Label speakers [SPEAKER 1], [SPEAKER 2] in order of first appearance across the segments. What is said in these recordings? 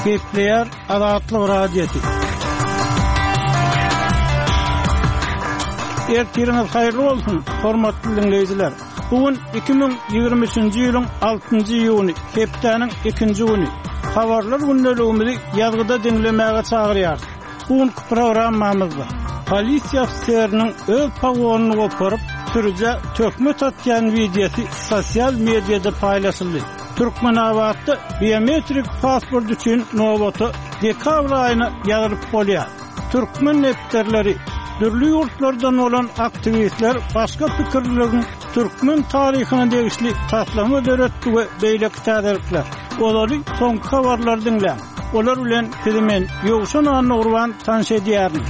[SPEAKER 1] Gepleýär Azatlyk Radiosy. Ertiriňiz haýyrly bolsun, hormatly diňleýjiler! Bu gün 2023-nji ýylyň altynjy iýuny, hepdäniň ikinji güni. Habarlar gündeligimizi ýazgyda diňlemäge çagyrýarys. Bu günki programmamyzda polisiýa ofiseriniň öz pogonyny goparyp, sürüjä töhmet atýan wideosy sosial mediada paýlaşyldy. Türkmenabatda biometrik pasport üçin nobata dekabr aýyna ýazylyp bolýar. Türkmen depderleri, dürli ýurtlardan bolan aktiwistler başga pikirliligiň türkmen taryhyna degişli taslama döretdi we beýleki täzelikler. Ozaly soňky habarlary diňläň. Olar bilen sizi men, Ýowşan Annagurban tanyş edýärin.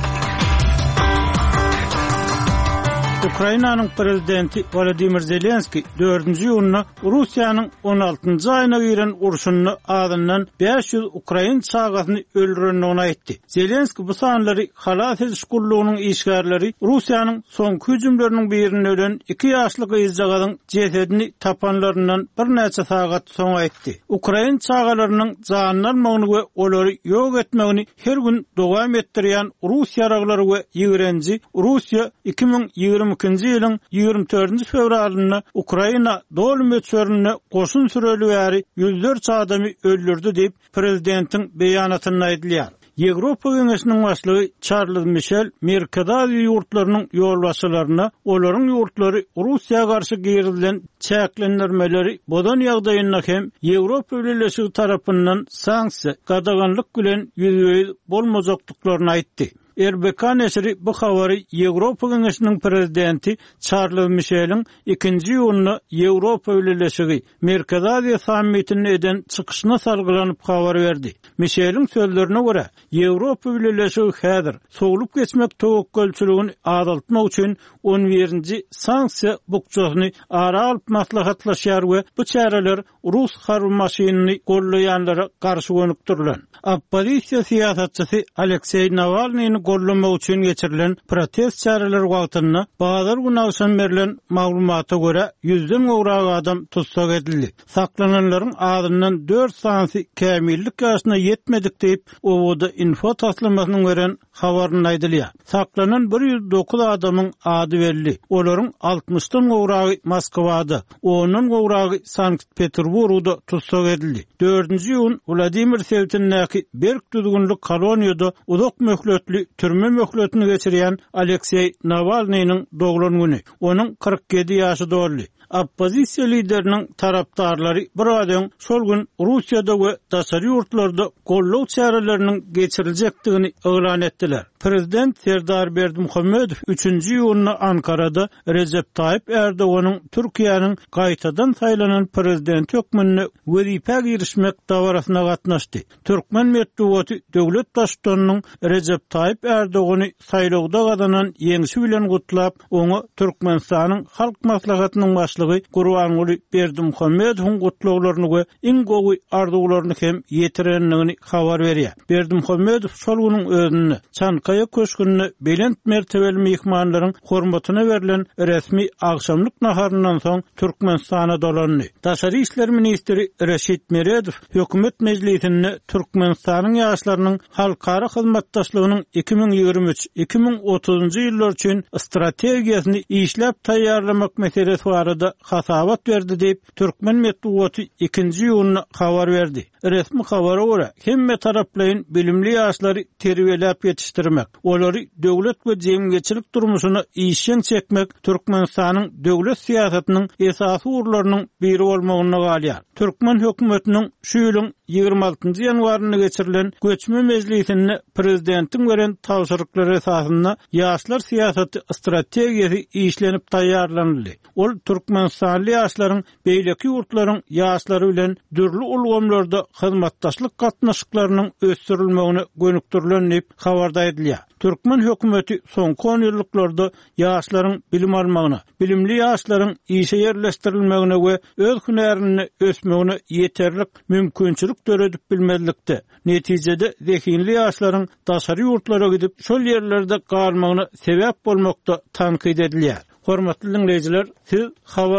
[SPEAKER 1] Ukrainanyň prezidenti Wolodymyr Zelenskiý dördünji iýunda Russiýanyň on altynjy aýyna giren urşunda azyndan 500 ukrain çagasyny öldürendigini aýtdy. Zelenskiý bu sanlary halas ediş gullugynyň işgärleri Russiýanyň soňky hüjümleriniň birinde ölen iki ýaşly gyzjagazyň jesedini tapanlaryndan birnäçe sagat soň aýtdy. Ukrain çagalarynyň janyny almagyny we olary ýok etmegini her gün dowam etdirýän rus ýaraglary we ýigrenji Russiýa 2022-nji ýylyň 24-nji fewralynda Ukraina doly möçberinde goşun süreli bäri ýüzlerçe adamy öldürdi diýip, prezidentiň beýanatynda aýdylýar. Ýewropa Geňeşiniň başlygy Çarlz Mişel Merkezi Aziýa ýurtlarynyň ýolbaşçylaryna olaryň ýurtlary Russiýa garşy girizilen çäklendirmeleri bozan ýagdaýynda hem Ýewropa Bileleşigi tarapyndan sanksiýa, gadaganlyk bilen ýüzbe-ýüz bolmajakdyklaryny aýtdy. RBK neşiri bu habary Ýewropa Geňeşiniň prezidenti Çarlz Mişeliň ikinji iýunda Ýewropa Bileleşigi, Merkezi Aziýa sammitinde eden çykyşyna salgylanyp habar berdi. Mişeliň sözlerine görä, Ýewropa Bileleşigi häzir sowlup geçmek töwekgelçiligini azaltmak üçin on birinji sanksiýa bukjasyny ara alyp maslahatlaşýar we bu çäreler rus harby maşynyny gollaýanlara garşy gönükdirilen. Oppozisiýa syýasatçysy Alekseý Nawalnyny gollamak üçin geçirilen protest çäreleri wagtynda bazar güni agşam berlen maglumata görä, ýüzden gowrak adam tussag edildi. Saklananlaryň azyndan dört sanysy kämillik ýaşyna ýetmedik diýip, OWD-Info taslamasynyň beren habarynda aýdylýar. Saklanan 109 adamyň ady belli. Olaryň altmyşdan gowragy Moskwada, ondan gowragy Sankt-Peterburgda tussag edildi. Dördünji iýun Wladimir sebitindäki berk düzgünli koloniýada uzak möhletli türme möhletini geçirýän Alekseý Nawalnynyň doglan güni. Onuň 47 ýaşy doldy. Oppozisiýa lideriniň tarapdarlary biraz öň şol gün Russiýada we daşary ýurtlarda goldaw çäreleriniň geçiriljekdigini yglan etdiler. Prezident Serdar Berdimuhamedow üçünji iýunda Ankarada Rejep Taýyp Ärdoganyň Türkiýäniň gaýtadan saýlanan prezidenti hökmünde wezipä girişmek dabarasyna gatnaşdy. Türkmen metbugaty döwlet Baştutanynyň Rejep Taýyp Ärdogany saýlawda gazanan ýeňşi bilen gutlap, oňa Türkmenistanyň Halk Maslahatynyň Başlygy Gurbanguly Berdimuhamedowyň gutlaglaryny we iň gowy arzuwlaryny hem ýetirendigini habar berýär. Berdimuhamedow şol günüň özünde Çankaýa köşgünde belent mertebeli myhmanlaryň hormatyna berlen resmi agşamlyk naharyndan soň Türkmenistana dolandy. Daşary işler ministri Reşit Meredow Hökümet mejlisinde Türkmenistanyň ýaşlarynyň halkara hyzmatdaşlygynyň 2023, 2030-njy ýyllar üçin strategiýasyny işläp taýýarlamak meselesi barada hasabat berdi diýip, türkmen metbugaty ikinji iýunda habar berdi. Resmi habara görä, hemmetaraplaýyn bilimli ýaşlary terbiýeläp ýetişdirmek, olary döwlet we jemgyýetçilik durmuşyna işjeň çekmek Türkmenistanyň döwlet syýasatynyň esasy ugurlarynyň biri bolmagynda galýar. Türkmen hökümetiniň şu ýylyň 26 ýanwarynda geçirilen göçme mejlisinde prezidentiň beren tabşyryklary esasynda ýaşlar syýasaty strategiýasy işlenip taýýarlanyldy. Ol türkmenistanly ýaşlaryň beýleki ýurtlaryň ýaşlary bilen dürli ulgamlarda hyzmatdaşlyk gatnaşyklarynyň ösdürilmegine gönükdirilen diýip, habarda aýdylýar. Türkmen hökümeti soňky onýyllyklarda ýaşlaryň bilim almagyna, bilimli ýaşlaryň işe ýerleşdirilmegine we öz hünärinde ösmegine ýeterlik mümkinçilik döredip bilmezlikde, netijede zehinli ýaşlaryň daşary ýurtlara gidip, şol ýerlerde galmagyna sebäp bolmakda tankyt edilýär. Hormatly diňleýjiler, siz habar.